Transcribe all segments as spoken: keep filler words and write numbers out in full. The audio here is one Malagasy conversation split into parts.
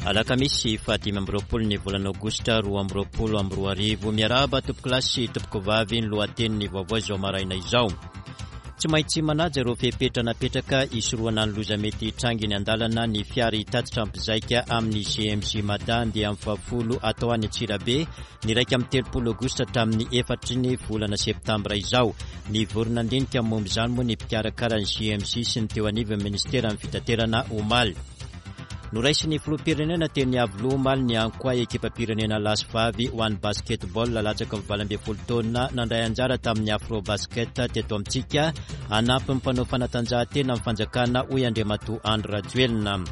Alakamisy fahadimy amby roapolo ny volana aogositra roa amby roapolo amby roa arivo. Miarahaba tompokolahy sy tompokovavy, ny lohatenin'ny vaovao izao maraina izao. Tsy maintsy manaja ireo fepetra napetraka hisorohana ny loza mety hitranga eny an-dalana ny fiara hitatitra mpizaika amin'ny G M J Mada andiany fahafolo atao any Antsirabe ny iraika amby telopolo aogositra hatramin'ny efatry ny volana septambra izao. Nivory nandinika momba izany moa ny mpikarakara ny G M J sy ny teo anivon'ny ministeran'ny fitaterana omaly. Noraisin'ny filoham-pirenena teny Iavoloha omaly ny Ankoay, ekipam-pirenena lahy sy vavy ho an'ny basketball latsaky ny valo ambin'ny folo taona nandray anjara tamin'ny Afro Basket teto amintsika. Hanampy ny mpanao fanatanjahantena amin'ny fanjakana, hoy Andriamatoa Andry Rajoelina.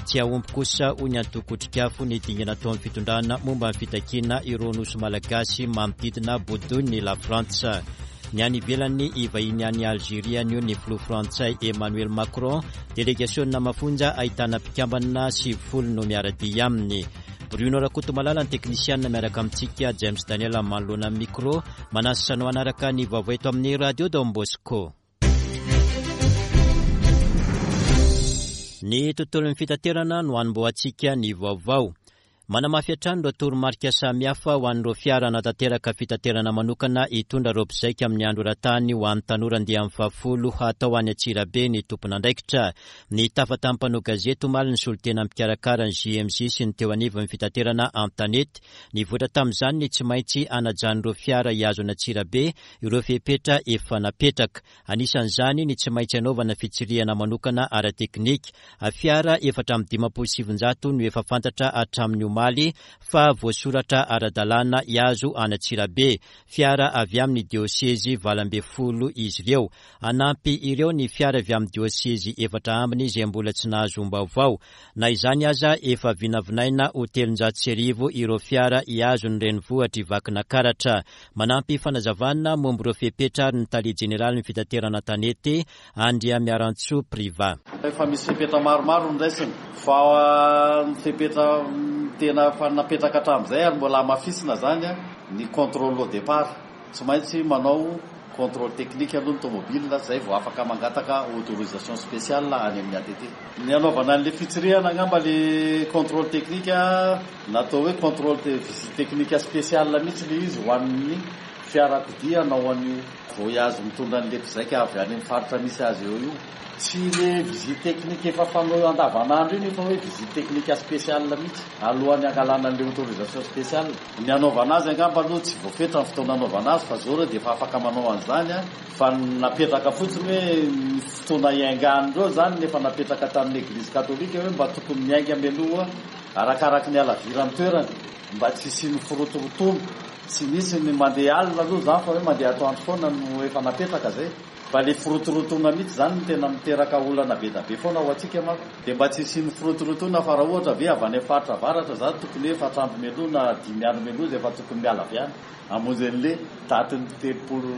Tsy hahomby kosa, hoy ny antoko Otrikafo, ny dingana ataon'ny fitondrana momba ny fitakiana ireo nosy malagasy manodidina bodoin'ny La Frantsa. Ny any ivelany, hivahiny any Algeria anio ny filoha frantsay Emmanuel Macron. Delegasiona mafonja ahitana mpikambana sivifolo no miara-dia aminy. Bruno Rakotomalala ny teknisianina miaraka amintsika, James Daniel manoloana ny micro. Manasa anao hanaraka ny vaovao eto amin'ny Radio Don Bosco. Ny tontolon'ny fitaterana no hanombohantsika ny vaovao. Manamafy hatrany ireo toromarika samihafa ho an'ireo fiara hanatanteraka fitaterana manokana hitondra ireo mpizaika amin'ny andro eran-tany ho an'ny tanora andiany fahafolo hatao any Antsirabe ny tompon'andraikitra. Nitafa tamin'ny mpanao gazety omaly ny solontena mpikarakara ny G M J sy ny teo anivon'ny fitaterana an-tanety. Nivoatra tamin'izany ny tsy maintsy hanajan'ireo fiara hihazo an'Antsirabe ireo fepetra efa napetraka. Anisan'izany ny tsy maintsy hanaovana fitsirihana manokana ara-teknika. Fiara efatra amby dimampolo sy sivinjato no efa fantatra hatramin'ny omaly fa voasoratra ara-dalàna hihazo an'Antsirabe. Fiara avy amin'ny diosezy valo ambin'ny folo izy ireo. Hanampy ireo ny fiara avy amin'ny diosezy efatra ambiny izay mbola tsy nahazoam-baovao. Na izany aza, efa vinavinaina ho telonjato sy arivo ireo fiara hihazo ny renivohitr'i Vakinankaratra. Manampy fanazavana momba ireo fepetra ary ny tale jeneralin'ny fitaterana an-tanety, Andriamiarantsoa Priva. Efa misy fepetra maromaro noraisina, fa ny fepetra tena efa napetraka hatramin'izay ary mbola hamafisina zany ny contrôle au départ. Tsy maintsy manao contrôle technique aloha ny tomobile zay vao afaka mangataka autorisation spéciale any amin'ny A T T. Ny anaovana an'le fitsirihana angamba, le contrôle technique natao hoe contrôle de visite technique spéciale mihitsy le izy ho an'ny fiarakodia hanao an'io voyage mitondra an'le mpizaika avy any amin'ny faritra misy azy eo io. Tsy le visite technique efa fanao andavanandro iny fa hoe visite technique spéciale mihitsy alohan'ny angalana an'le autorisation spéciale. Ny anaovana azy angamba aloha tsy voafetra ny fotoana anaovana azy, fa zao reo dia efa afaka manao an'izany a, fa napetraka fotsiny hoe ny fotoana iaingan'ireo zany nefa napetraka tamin'ny Église catholique hoe mba tokony miainga mialoha arakaraky ny halaviran'ny toerana mba tsy hisian'ny firotorotoana. Tsy misy ny mandeha alina aloha zany fa hoe mandeha atoandro foana no efa napetraka zay, fa le firotorotoana mihitsy zany no tena miteraka olana be da be foana ho antsika manko, dia mba tsy hisian'ny firotorotoana, fa raha ohatra ve avy any amin'ny faritra avaratra zany, tokony hoe efatra andro mialoha na dimy andro mialoha zay efa tokony miala avy any hamonjy an'le datin'ny telopolo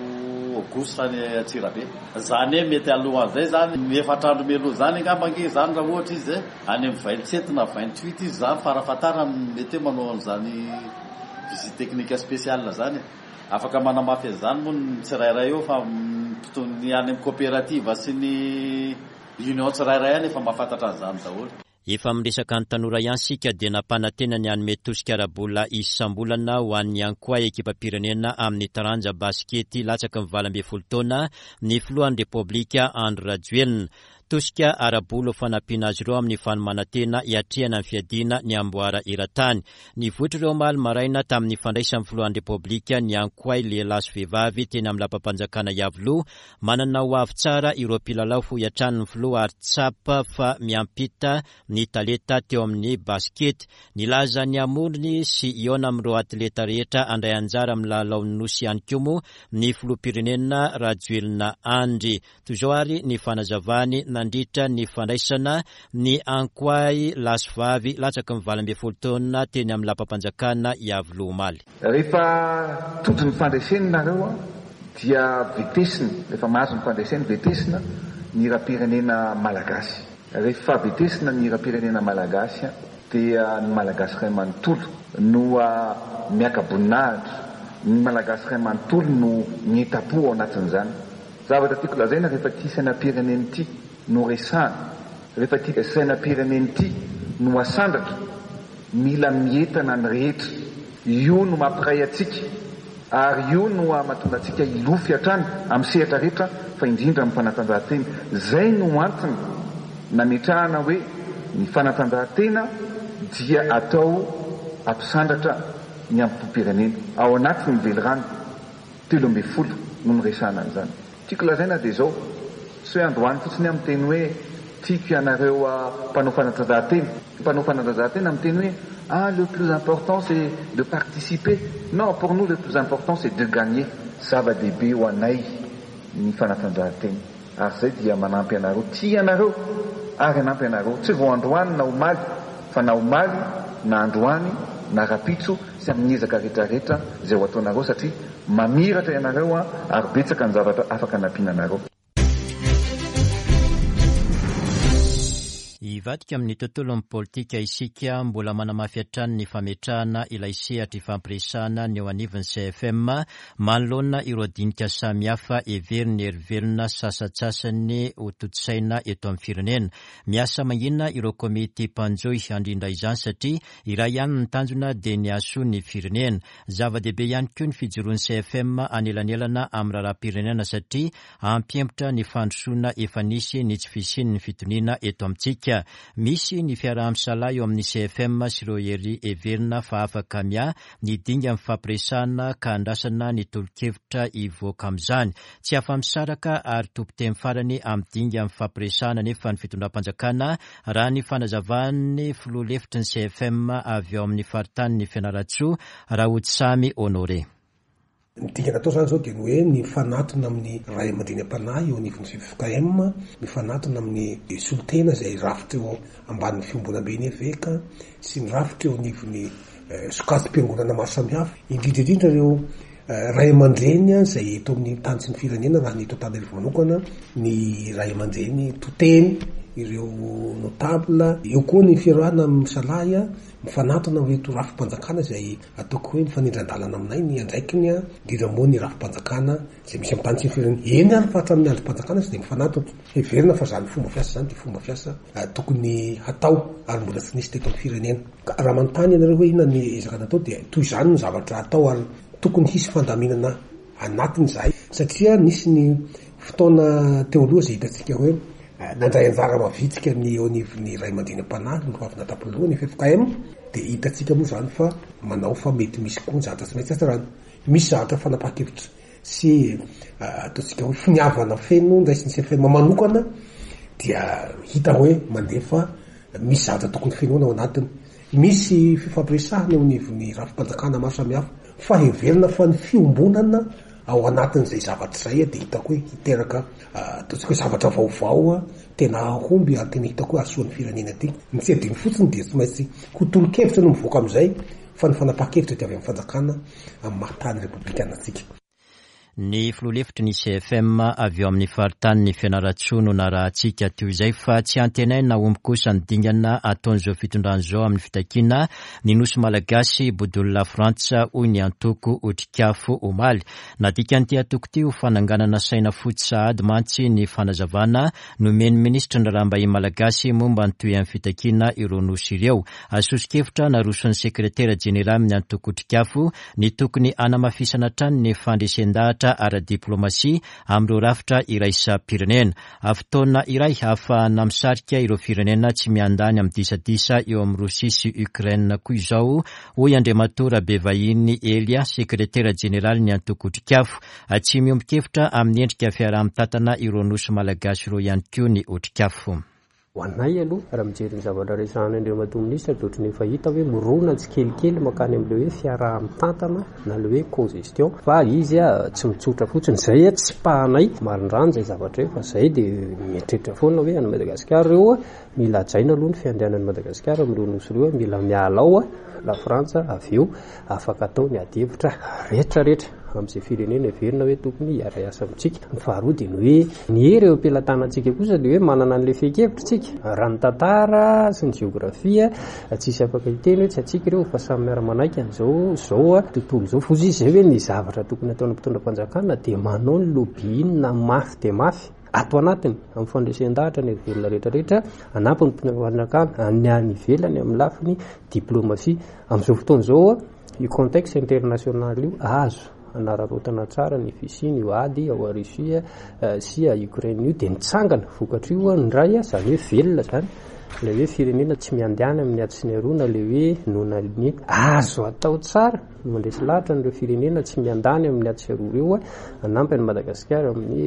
aogositra any Antsirabe zany hoe mety alohan'izay zany, ny efatra andro mialoha zany angamba nge zany, raha ohatra izy any amin'ny vingt sept na vingt huit izy zany farafahatarany mety hoe manao an'izany visite technique spéciale zany. Afaka manamafy an'izany moa ny tsirairay eo, fa ny any amin'ny coopérative sy ny union tsirairay any efa mahafantatra an'izany daholo. Efa miresaka ny tanora ihany sika dia nampanantena ny hanome tosika ara-bola isam-bolana ho an'ny Ankoay, ekipam-pirenena amin'ny taranja baskety latsaky ny valo ambin'ny folo taona, ny filohan'ny Repoblika Andry Rajoelina. Tosika ara-bola ho fanampiana azy ireo amin'ny fanomanan-tena hiatrehana ny fiadiana ny amboara eran-tany. Nivoitra ireo omaly maraina tamin'ny fandraisan'ny filohan'ny Repoblika ny Ankoay lehilahy sy vehivavy teny amin'ny lapam-panjakana Iavoloha. Manana ho avy tsara ireo mpilalao, hoy hatrany ny filoha, ary tsapa fa miampita ny talenta teo amin'ny baskety. Nilaza ny hamorony sy hihaona amin'ireo atleta rehetra handray anjara amin'ny lalaon'ny nosy ihany koa moa ny filoham-pirenena Rajoelina Andry. Toy izao ary ny fanazavany nandritra ny fandraisana ny Ankoay lahy sy vavy latsaky ny valo ambin'ny folo taona teny amin'ny lapam-panjakana Iavoloha omaly. Rehefa tojo ny fandresena nareo a dia vetesina, rehefa mahazo ny fandresena, vetesina ny hiram-pirenena malagasy. Rehefa vetesina ny hiram-pirenena malagasy a dia ny Malagasy ray manontolo no miaka-boninahitra, ny Malagasy ray manontolo no mientam-po ao anatin'izany. Zavatra tiako lazaina, rehefa ity sainam-pirenena ity no resahana, rehefa ity sainam-pirenena ity no asandratra, Mila mientana ny rehetra. Io no mampiray antsika ary io no mahatonga antsika hilofy hatrany amin'ny sehatra rehetra fa indrindra amin'ny fanatanjahantena. Izay no antony nametrahana hoe ny fanatanjahantena dia atao hampisandratra ny amim-pirenena. Ao anatin'ny velirano telo ambin'ny folo no niresahana an'izany. Tiako lazaina dia izao, tsy hoe androany fotsiny aho miteny hoe tiako ianareo mpanao fanatanjahantena. Mpanao fanatanjahantena miteny hoe ah, le plus important c'est de participer. Non, pour nous le plus important c'est de gagner. Zava-dehibe ho anay ny fanatanjahantena. Ary izay dia manampy anareo, tia anareo ary hanampy anareo. Tsy vao androany na omaly, fa na omaly na androany na rapitso sy amin'ny ezaka rehetrarehetra izay ho ataonareo satria mamiratra ianareo ary betsaka ny zavatra afaka anampiana anareo. Hivadika amin'ny tontolon'ny politika isika, mbola manamafy hatrany ny fametrahana ilay sehatra ifampiresahana ny eo anivon'ny C F M manoloana ireo dinika samihafa heverin'ny herivelona sasantsasany ho tontosaina eto amin'ny firenena. Miasa mangina ireo komity mpanjohy handrindra izany satria iray ihany ny tanjona dia ny hahasoa ny firenena. Zava-dehibe ihany koa ny fijoroan'ny C F M anelanelana amin'ny raharaham-pirenena satria hampihemotra ny fandrosoana efa nisy ny tsy fisian'ny fitoniana eto amintsika. Misy ny fiaraha-misalahy eo amin'ny C F M sy ireo hery heverina fa afaka miahy ny dinga amin'ny fampiresahana ka andrasana ny tolo-kevitra hivoaka amin'izany. Tsy afa-misaraka ary tompon-teny farany amin'ny dinga amin'ny fampiresahana nefa ny fitondram-panjakana raha ny fanazavan'ny filoha lefitry ny C F M avy ao amin'ny faritanin'ny Fianarantsoa, Rahodisamy Honoré. Ny dingana atao izany izao dia ny hoe ny mifanatona amin'ny ray aman-dreny am-panahy eo anivon'ny F K M, mifanatona amin'ny solontena izay rafitra eo ambanin'ny fiombonamben'ny eveka sy ny rafitra eo anivon'ny sokajim-piangonana maro samihafa, indrindra indrindra ireo ray aman-dreny izay eto amin'ny tany sy ny firenena, raha ny eto Antananarivo manokana, ny ray aman-dreny toteny, ireo notable, eo koa ny fiarahana misalahy mifanatona amin'ireto rafi-panjakana izay ataoko hoe mifanindran-dalana aminay ny andraikiny, indrindra moa ny rafi-panjakana izay misy amin'ny tany sy ny firenena. Eny ary fa hatramin'ny andrim-panjakana izay dia mifanatona. Heverina fa izany fomba fiasa izany dia fomba fiasa tokony hatao ary mbola tsy nisy teto amin'ny firenena. Ka raha manontany ianareo hoe inona ny ezaka natao dia toy izany ny zavatra atao ary tokony hisy fandaminana anatiny izahay satria nisy ny fotoana teo aloha izay hitantsika hoe nandray anjara mavitrika ny eo anivon'ny ray aman-dreny am-panahy no avy natapoloha ny F K M dia hitantsika moa izany fa manao fa mety misy koa ny zavatra tsy maintsy hatsarana. Misy zavatra fanapahan-kevitra sy ataontsika hoe finiavana feno ndraisin'ny C F M manokana dia hita hoe mandefa misy zavatra tokony fenoina ao anatiny. Misy fifampiresahana eo anivon'ny rafi-panjakana maro samihafa fa heverina fa ny fiombonana ao anatin'izay zavatra izay dia hitako hoe hiteraka ataontsika hoe zavatra vaovao tena hahomby ary tena hitako hoe hahasoa ny firenena ity. Ny tsy adino fotsiny dia tsy maintsy ho tolo-kevitra no mivoaka amin'izay fa ny fanapahan-kevitra dia avy amin'ny fanjakana amin'ny maha tany repoblikana antsika. Ny filoha lefitry ny C F M avy eo amin'ny faritanin'ny Fianarantsoa no narahantsika teo izay fa tsy antenaina omby kosa ny dingana ataon'izao fitondrana izao amin'ny fitakiana ny nosy malagasy Bodolona Frantsa hoy ny antoko Otrikafo omaly. Nadikan'ity antoko ity ho fananganana saina fotsy sahady mantsy ny fanazavana nomen'ny minisitry ny raharaham-bahiny malagasy momba ny toeran'ny fitakiana ireo nosy ireo. Soso-kevitra naroson'ny sekretera jeneraly amin'ny antoko Otrikafo ny tokony hanamafisana hatrany ny fandresen-dahatra ara-diplomasia amin'ireo rafitra iraisam-pirenena. Fotoana iray ahafahana misarika ireo firenena tsy miandany amin'ny disadisa eo amin'ny Rosia sy Ukraine koa izao, hoy Andriamatoa Rabevahiny Elia, sekretera jeneraly ny antoko Otrikafo. Tsy miombon-kevitra amin'ny endrika fiaraha-mitantana ireo nosy malagasy ireo ihany koa ny Otrikafo. Ho anay aloha, raha mijery ny zavatra resahana Andriamatoa Minisitra dia ohatran'ny efa hita hoe mirona tsikelikely mankany amin'ilay hoe fiaraha-mitantana na ilay hoe co-gestion, fa izy a tsy mitsotra fotsiny izay a tsy pahanay marindrano izay zavatra io, fa izay dia mieritreritra foana hoe any Madagasikara ireo a mila hajaina aloha ny fiandrianan'i Madagasikara amin'ireo nosy ireo, mila miala ao a la Frantsa avy eo afaka atao ny ady hevitra rehetrarehetra amin'izay firenena heverina hoe tokony hiara-hiasa amintsika. Ny faharoa dia ny hoe ny hery eo am-pelatanantsika kosa dia hoe manana an'ilay fehin-kevitra isika. Raha ny tantara sy ny jeografia tsisy afaka hiteny hoe tsy antsika ireo fa samy miara-manaiky an'izao izao a tontolo izao. Fotsiny izy izay hoe ny zavatra tokony ataon'ny mpitondra-panjakana dia manao ny lobbying na mafy dia mafy Ato anatiny amin'ny fandresen-dahatra ny velona rehetrarehetra, hanampy ny mpitondra fanjakana ny any ivelany amin'ny lafiny diplomasia. Amin'izao fotoana izao io contexte international io azo anararaotana tsara ny fisiany io ady ao Russie sy Ukraine io, dia nitsangana vokatra io indray, izany hoe velona zany ilay hoe firenena tsy miandany amin'ny ady sy ny aroa, na ilay hoe non aligné. Azo atao tsara ny mandresy lahatra an'ireo firenena tsy miandany amin'ny ady sy aroa ireo hanampy an'i Madagasikara amin'ny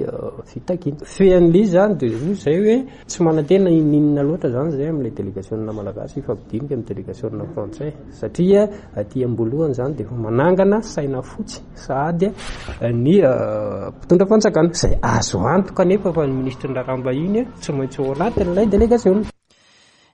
fitakiana. Fean'ilay izy zany dia roa izay hoe tsy manantena ininona loatra zany izay amin'ilay délégation malagasy hifampidinika amin'ny délégation frantsay, satria aty am-boalohany zany dia efa manangana saina fotsy sahady ny mpitondra fanjakana, izay azo antoka nefa fa ny ministry ny raharaham-bahiny tsy maintsy ao anatin'ilay délégation.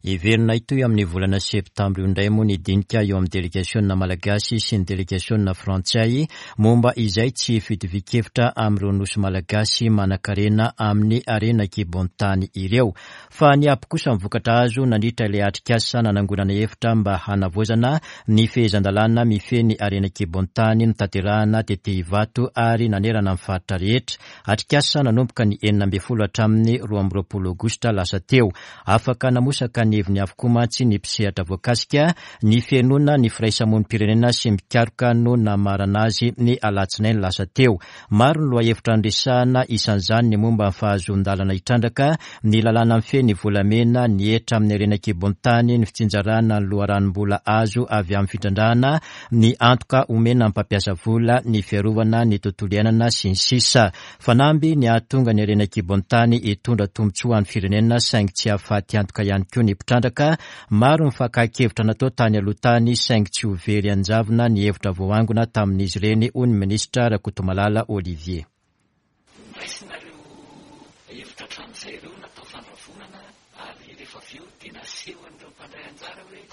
Heverina hitohy amin'ny volana septambra io indray moa ny dinika eo amin'ny délégation malagasy sy ny délégation frantsay momba izay tsy fitovian-kevitra amin'ireo nosy malagasy manan-karena amin'ny harena an-kibon-tany ireo. Fa niampy kosa ny vokatra azo nandritra ilay atrikasa nanangonana hevitra mba hanavaozana ny fehezan-dalàna mifehy ny harena an-kibon-tany notanterahana tety Ivato ary nanerana ny faritra rehetra. Atrikasa nanomboka ny enina ambin'ny folo hatramin'ny roa amby roapolo aogositra lasa teo. Afaka namosaka ny heviny avokoa mantsy ny mpisehatra voakasika, ny fihainoana ny firaisamonim-pirenena sy mikaroka no namarana azy ny alatsinainy lasa teo. Maro ny lohahevitra noresahana, isan'izany ny momba ny fahazoan-dalana hitrandraka, ny lalàna mifehy ny volamena, ny hetra amin'ny harena an-kibon-tany, ny fitsinjarana ny loharanom-bola azo avy amin'ny fitrandrahana, ny antoka omena ny mpampiasa vola, ny fiarovana ny tontolo iainana sy ny sisa. Fanamby ny hahatonga ny harena an-kibon-tany hitondra tombontsoa ho an'ny firenena, saingy tsy hahafaty antoka ihany koa ny mpitrandraka. Maro ny fakan-kevitra natao tany aloha tany, saingy tsy ho very an-javona ny hevitra voaangona tamin'izy ireny, hoy ny minisitra Rakotomalala Olivier. Raisina ireo hevitra hatramin'izay ireo natao fandravonana, ary rehefa avy eo dia naseho an'ireo mpandray anjara hoe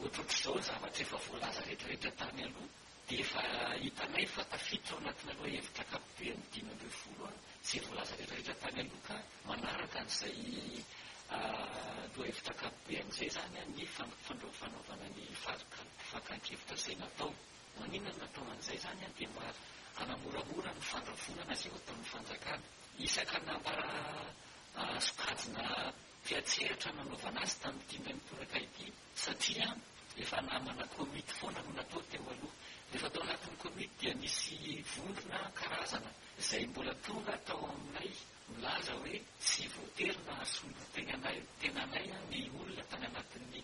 ohatrohatr'izao ny zavatra efa voalaza rehetrarehetra tany aloha, dia efa hitanay fa tafiditra ao anatina lohahevitra ankapobeny dimy ambin'ny folo izay voalaza rehetrarehetra tany aloha, ka manaraka an'izay lohahevitra ankapoben'izay zany ny fanaovana ny fakan-kevitra izay natao. Maninona no natao an'izay zany dia mba hanamoramora ny fandravonana izay ho ataon'ny fanjakana. Isaka nambara sokajina mpiantsehatra nanaovana azy tamin'ity indray mitoraka ity, satria efa namana komity foana no natao teo aloha. Rehefa tao anatin'ny komity dia nisy vondrona karazana izay mbola tonga tao aminay milaza hoe tsy voatery nahasolo tenanay tenanay ny olona tany anatin'ny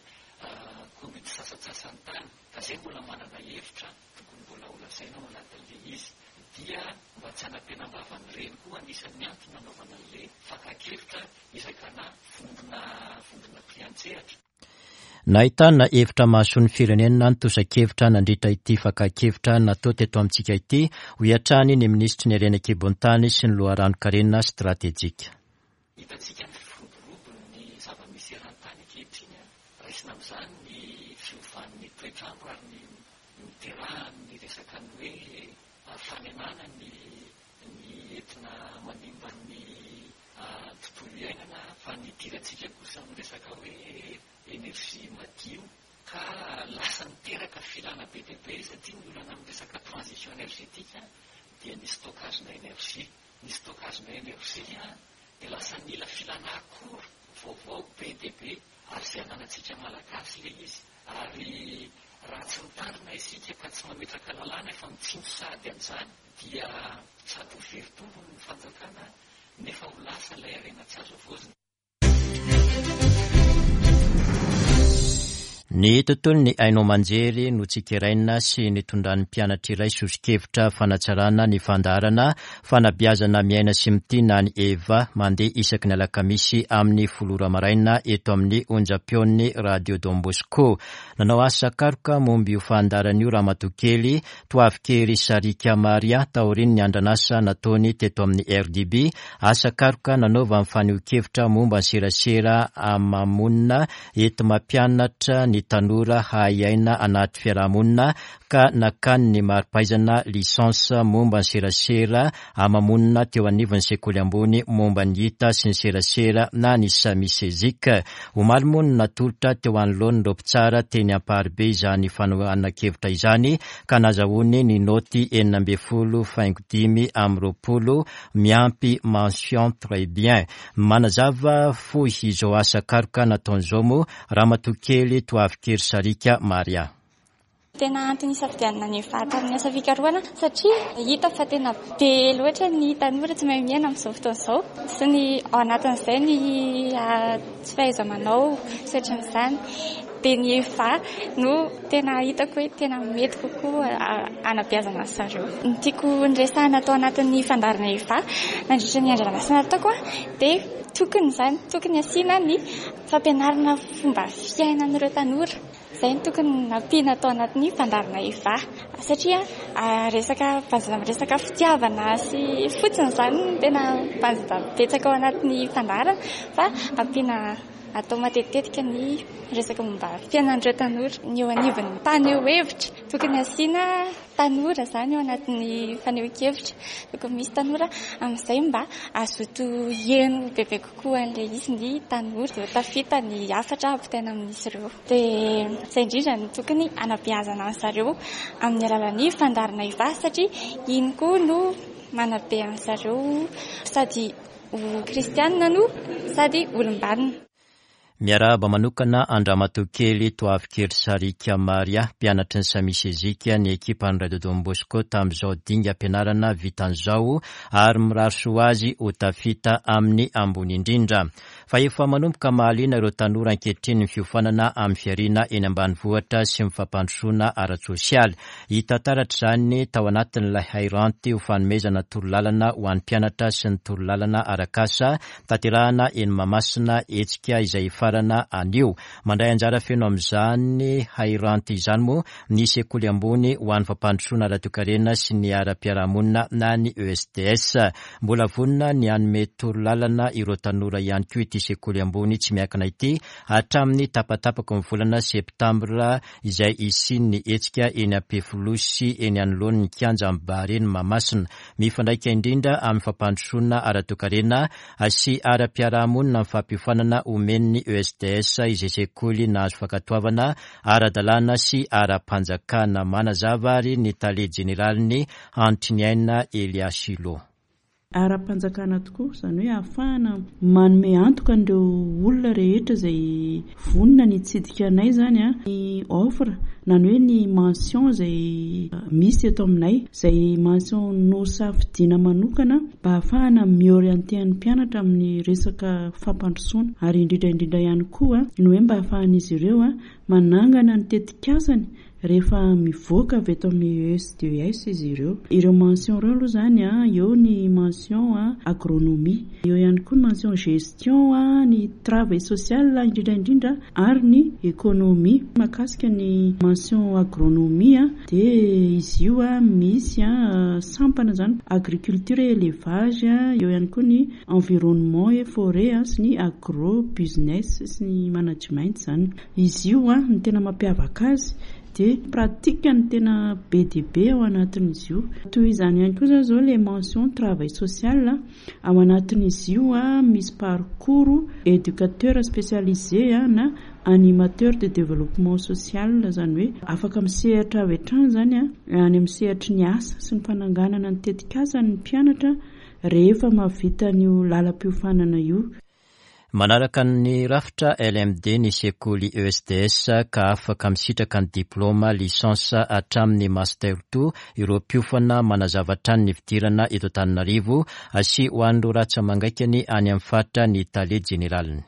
komity sasantsasany tany, ka izay mbola manana hevitra tokony mbola ho lazaina ao anatin'ilay izy. Dia mba tsy hanampenam-bavan'ireny koa anisan'ny antony nanaovana an'ilay fakan-kevitra isakana vondrona vondrona mpiantsehatra. Nahitana hevitra mahasoa ny firenena ny tosa-kevitra nandritra ity fakan-kevitra natao teto amintsika ity, hoy hatrany ny minisitry ny harena an-kibon-tany sy ny loharanon-karena stratejika. Hitantsika ny firoborobon'ny zava-misy eran-tany ankehitriny, raisina amin'izany ny fiovan'ny toetrandro ary ny niterahan'ny resaka ny hoe fanenana ny ny entina manimba ny tontolo iainana, fa nidirantsika kosa amin'ny resaka hoe énergie madio, ka lasa niteraka filana be dia be, satria ny olana amin'ny resaka transition énergétique dia ny stockage-na énergie. Ny stockage-na énergie dia lasa nila filana akora vaovao be dia be, ary izay ananantsika malagasy ilay izy. Ary raha tsy mitandrina isika ka tsy mametraka lalàna efa mitsinjo sady amin'izany, dia sady ho very tombony ny fanjakana nefa ho lasa ilay harena tsy azo havaozina. Ny tontolon'ny haino aman-jery no tsikeraina sy nitondran'ny mpianatra iray soso-kevitra fanatsarana ny fandaharana fanabeazana miaina sy mitia ny Eva mandeha isaky ny alakamisy amin'ny folo ora maraina eto amin'ny onjam-peon'ny Radio Don Bosco. Nanao asa karoka momba io fandaharana io ramatoa kely Toavikery Sarika Maria taorian'ny andranasa nataony teto amin'ny R D B. Asa karoka nanaovany fanehoan-kevitra momba ny serasera amamonina eto mampianatra ny tanora hahay aina anaty fiarahamonina ka nakany ny mari-pahaizana licence momba ny serasera amamonina teo anivon'ny sekoly ambony momba ny hita sy ny serasera na ny SAMISEZIC. Omaly moa no natolotra teo anoloan'ireo mpitsara teny Amparibe izany fanohanan-kevitra izany ka nazahoany ny noty enina ambin'ny folo faingo dimy amby roapolo miampy mention très bien. Manazava fohy izao asa karoka nataon'izao moa Ramatoa kely Toavikely Sarika Maria. Tena antony isafidianana ny E V A tamin'ny asa fikarohana satria hita fa tena be loatra ny tanora tsy mahay miaina amin'izao fotoana izao sy ny ao anatin'izay ny tsy fahaiza-manao sy ohatran'izany. Dia ny E V A no tena hitako hoe tena mety kokoa anabeazana azy zareo. Ny tiako niresahana tao anatin'ny fandaharana E V A nandritra ny andro nataoko dia tokony izany tokony asiana ny fampianarana fomba fiainan'ireo tanora. Izay no tokony nampiana tao anatin'ny fandaharana E V A satria resaka bazina resaka fitiavana sy fotsiny izany no tena bazina betsaka ao anatin'ny fandaharana fa ampiana atao matetitetika ny resaka momba fiainan'ireo tanora. Ny eo anivon'ny mpaneho hevitra tokony asiana tanora izany eo anatin'ny fanehoan-kevitra, tokony misy tanora amin'izay mba hazoto hihaino bebe kokoa an'ilay izy ny tanora dia ho tafita ny hafatra ampitaina amin'izy ireo. Dia izay indrindra no tokony hanabeazana an zareo amin'ny alalan'ny fandaharana E V A satria iny koa no manabe an zareo sady ho kristianina no sady olom-banona. Miarahaba manokana an-dRamatoa kely Toavikely Sarika Maria, mpianatry ny SAMISEZIC, ny ekipan'ny Radio Don Bosco tamin'izao dingam-pianarana vitan'izao ary mirary soa azy ho tafita amin'ny ambony indrindra. Fa efa manomboka mahaliana ireo tanora ankehitriny ny fiofanana amin'ny fiariana eny ambanivohitra sy ny fampandrosoana ara-tsosialy. Hita taratra izany tao anatin'ilay hairanty ho fanomezana torolalana ho an'ny mpianatra sy ny torolalana arak'asa tanterahana eny Mahamasina, hetsika izay hifarana anio. Mandray anjara feno amin'izany hairanty izany moa ny sekoly ambony ho an'ny fampandrosoana ara-toekarena sy ny ara-piarahamonina na ny E S D S. Mbola vonona ny hanome torolalana ireo tanora ihany koa ity sekoly ambony tsy miankina ity hatramin'ny tapatapaky ny volana septambra izay hisian'ny hetsika eny Ampefiloha sy eny anoloan'ny kianja Barea Mahamasina. Mifandraika indrindra amin'ny fampandrosoana ara-toekarena sy ara-piarahamonina ny fampiofanana omen'ny E S D S izay sekoly nahazo fankatoavana ara-dalàna sy ara-panjakana. Manazava ary ny tale jeneraliny Antriniaina Eliasilo. Ara-panjakana tokoa izany hoe ahafahana manome antoka an'ireo olona rehetra izay vonona ny hitsidika anay zany a ny offre na ny hoe ny mention izay misy eto aminay, izay mention nosafidiana manokana mba ahafahana mi-orienter ny mpianatra amin'ny resaka fampandrosoana ary indrindra indrindra ihany koa ny hoe mba ahafahan'izy ireo a manangana ny tetikasany rehefa mivoaka avy eto amin'ny E S D S izy ireo. Ireo mention ireo aloha zany a eo ny mention a agronomie, eo ihany koa ny mention gestion a ny travail social indrindra indrindra ary ny économie. Mahakasika ny mention agronomie a dia izy io a misy a sampana zany agriculture et élevage, eo ihany koa ny environnement et forêt sy ny agro business sy ny management zany. Izy io a ny tena mampiavaka azy dia pratique ny tena be dia be ao anatin'izy io. Toy izany ihany koa zany zao le mention travail social, ao anatin'izy io a misy parcours éducateur spécialisé a na animateur de développement social, zany hoe afaka misehatra avy hatrany zany a any amin'ny sehatry ny asa sy ny fananganana ny tetikasa ny mpianatra rehefa mahavita an'io lalam-piofanana io. Manaraka ny rafitra L M D ny sekoly E S D S ka afaka misitraka ny diplôma licence hatramin'ny master roa ireo mpiofana. Manazava hatrany ny fidirana eto Antananarivo sy ho an'ireo ratsa-mangaikany any amin'ny faritra ny tale jeneraliny.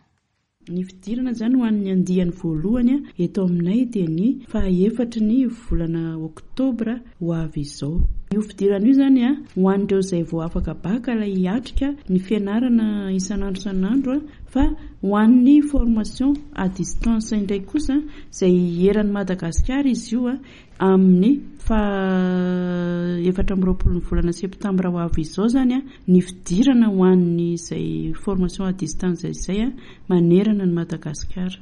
Ny fidirana zany ho an'ny andiany voalohany a eto aminay dia ny fahaefatry ny volana oktobra ho avy izao io fidirana io zany a ho an'ireo izay vao afaka bac ilay hiatrika ny fianarana isan'andro isan'andro a fa ho an'ny formation à distance indray kosa izay eran'ny Madagasikara izy io a amin'ny fa efatra amby roapolo ny volana septambra ho avy izao zany a ny fidirana ho an'ny izay formation à distance izay a manerana ny Madagasikara.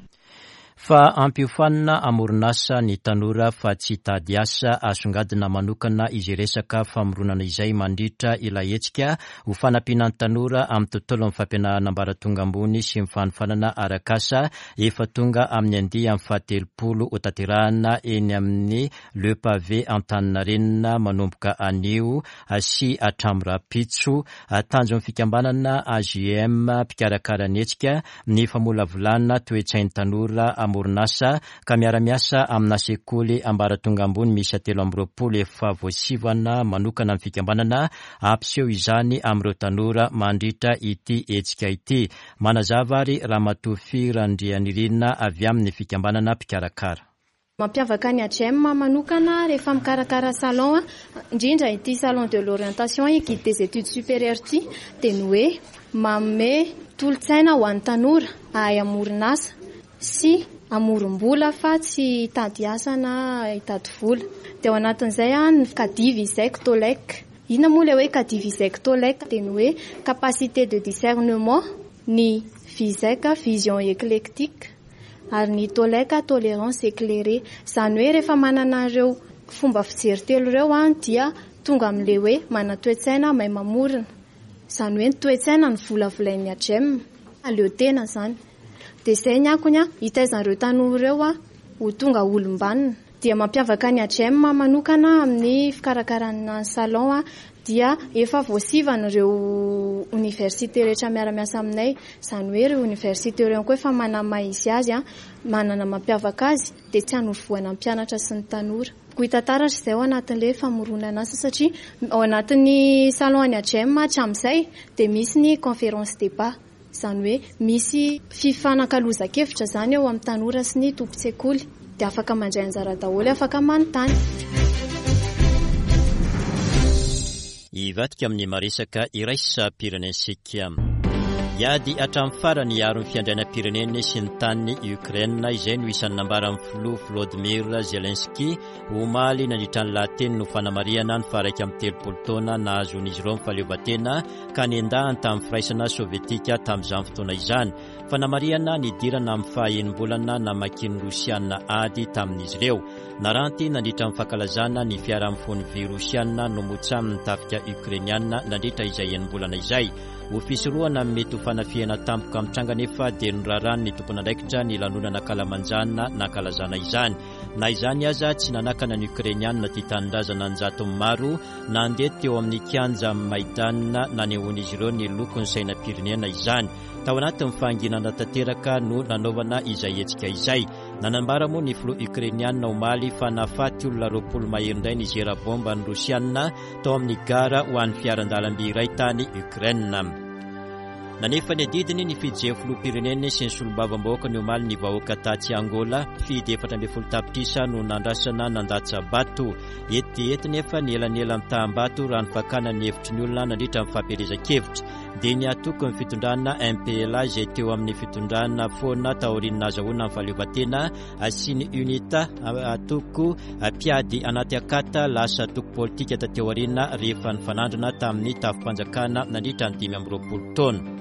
Fa ampiofanina hamoron'asa ny tanora fa tsy hitady asa. Asongadina manokana izay resaka famoronana izay mandritra ilay hetsika ho fanampiana ny tanora amin'ny tontolon'ny fampianarana ambaratonga ambony sy ny fanofanana arak'asa efa tonga amin'ny andiany fahatelopolo hotanterahina eny amin'ny Le Pavé Antaninarenina manomboka anio sy hatramin'ny rahampitso. Tanjon'ny fikambanana A G M mpikarakara ny hetsika ny famolavolana toe-tsain'ny tanora hamoron'asa ka miara-miasa amina sekoly ambaratonga ambony miisa telo amby roapolo efa voasivana manokana ny fikambanana hampiseho izany amin'ireo tanora mandritra ity hetsika ity. Manazava ary Ramatoa Firandrianirina avy amin'ny fikambanana mpikarakara. Mampiavaka ny A G M manokana rehefa mikarakara salon, indrindra ity salon de l'orientation et guide des études supérieures ity, dia ny hoe manome tolo-tsaina ho an'ny tanora hahay hamoron'asa sy hamorom-bola fa tsy hitady asa na hitady vola. Dia ao anatin'izay ny Cadiv ISEC Tolec. Inona moa ilay hoe Cadiv ISEC Tolec? Dia ny hoe capacité de discernement, ny VISEC vision éclectique, ary ny Tolec tolérance éclairée. Izany hoe rehefa manana ireo fomba fijery telo ireo dia tonga amin'ilay hoe manan-toe-tsaina mahay mamorona. Izany hoe ny toe-tsaina no volavolain'ny A G M, aleo tena izany. Dia izay ny akony hitaizan'ireo tanora ireo ho tonga olom-banona. Dia mampiavaka ny A G M manokana amin'ny fikarakarana ny salon dia efa voasivana ireo oniversite rehetra miara-miasa aminay. Izany hoe ireo oniversite ireo koa efa manana izy azy, manana mampiavaka azy, dia tsy hanorovoana ny mpianatra sy ny tanora. Koa hita taratra izay ao anatin'ilay famoronana asa satria ao anatin'ny salon an'ny A G M hatramin'izay dia misy ny conférence débat. Izany hoe misy fifanakalozan-kevitra izany eo amin'ny tanora sy ny tompon-tsekoly. Dia afaka mandray anjara daholo, afaka manontany. Hivadika amin'ny maresaka iraisam-pirenentsika. Hiady hatramin'ny farany hiaro ny fiandrianam-pireneny sy ny tany Ukraine izay no isan'ny nambaran'ny filoha Volodymyr Zelensky omaly nandritra ny lahateny no fanamarihana ny faha-iraika amby telopolo taona nahazoan'izy ireo ny fahaleovantena ka nendahany tamin'ny firaisana sovietika tamin'izany fotoana izany. Fanamarihana nidirana amin'ny faha-enim-bolana namakian'ny Rosiana ady tamin'izy ireo. Naranty nandritra ny fankalazana ny fiarahamon'ny vy Rosiana nomotsamin'ny tafika Ukrainiana nandritra izay enim-bolana izay. Ho fisorohana ny mety ho fanafihana tampoka mitranga nefa dia norarany ny tompon'andraikitra ny lanonana kalamanjana nankalazana izany. Na izany aza tsy nanakana ny Ukrainiana tia tanindrazana an-jatony maro nandeha teo amin'ny kianja Maidan nanehoan'izy ireo ny lokon'ny sainam-pirenena izany. Tao anatin'ny fahanginana tanteraka no nanaovana izay hetsika izay. Nanambara moa ny filoha Ukrainiana omaly fa nahafaty olona roapolo mahery indray ny zera bomba ny Rosiana tao amin'ny gara ho an'ny fiaran-dalamby iray tany Ukraine. Nanefa ny adidiny ny fijery filoham-pirenena sy ny solombavambahoaka ny omaly ny vahoaka tatsy Angola. Fidy efatra ambin'ny folo tapitrisa no nandrasana nandatsa-bato. Ety ety nefa ny elanelan'ny taham-bato raha ny fakana ny hevitry ny olona nandritra ny fampielezan-kevitra. Dia ny atoko ny fitondrana M P L A izay teo amin'ny fitondrana foana taorian'ny nahazahoana ny fahaleovantena sy ny UNITA atoko mpiady anaty akata lasa atoko politika tateo aoriana rehefa nifanandrina tamin'ny tafim-panjakana nandritra ny dimy amby roapolo taona.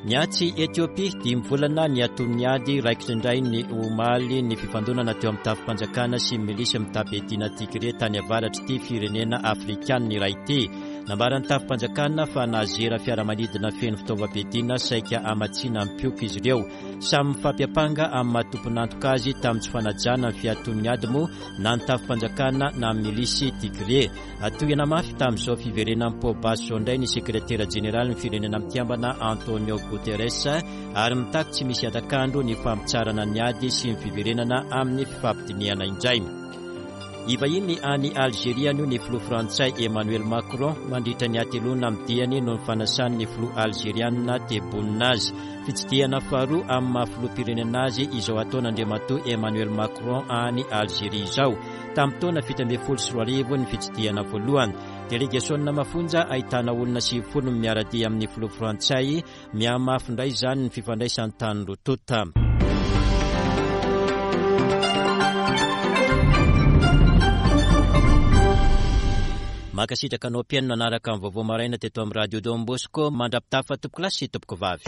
Niatsy Etiopia dimy volana ny aton'ny ady raikitra indray ny omaly ny fifandonana teo amin'ny tafim-panjakana sy milisy mitam-piadiana Tigré tany avaratr'ity firenena afrikanina iray ity. Nambaran'ny tafim-panjakana fa nazera fiaramanidina feno fitaovam-piadiana saika hamatsiana ny mpioko izy ireo. Samy mifampiampanga amin'ny maha tompon'antoka azy tamin'ny tsy fanajana ny fiaton'ny ady moa na ny tafim-panjakana na ny milisy Tigré. Atohina mafy tamin'izao fiverenan'ny Pobaso indray ny sekretera jeneralin'ny firenena mikambana Antonio Guterres ary mitaky tsy misy atakandro ny fampitsarana ny ady sy ny fiverenana amin'ny fifampidinihana indray. Ivahiny any Algeria no ny filoha frantsay Emmanuel Macron mandritra ny hateloana amin'ny diany noho ny fanasan'ny filoha algeriana Tebboune azy. Fitsidihana faharoa amin'ny maha filoham-pirenena azy izao ataon'Andriamatoa Emmanuel Macron any Algeria izao. Tamin'ny taona fito ambin'ny folo sy roa arivo ny fitsidihana voalohany. Delegasiona mafonja ahitana olona sivifolo miara-dia amin'ny filoha frantsay. Mihamafy indray izany ny fifandraisan'ny tany roa tonta. Mankasitraka anao mpihaino nanaraka ny vaovao maraina teto amin'ny Radio Don Bosco. Mandra-pitafa tompoko lahy sy tompoko vavy.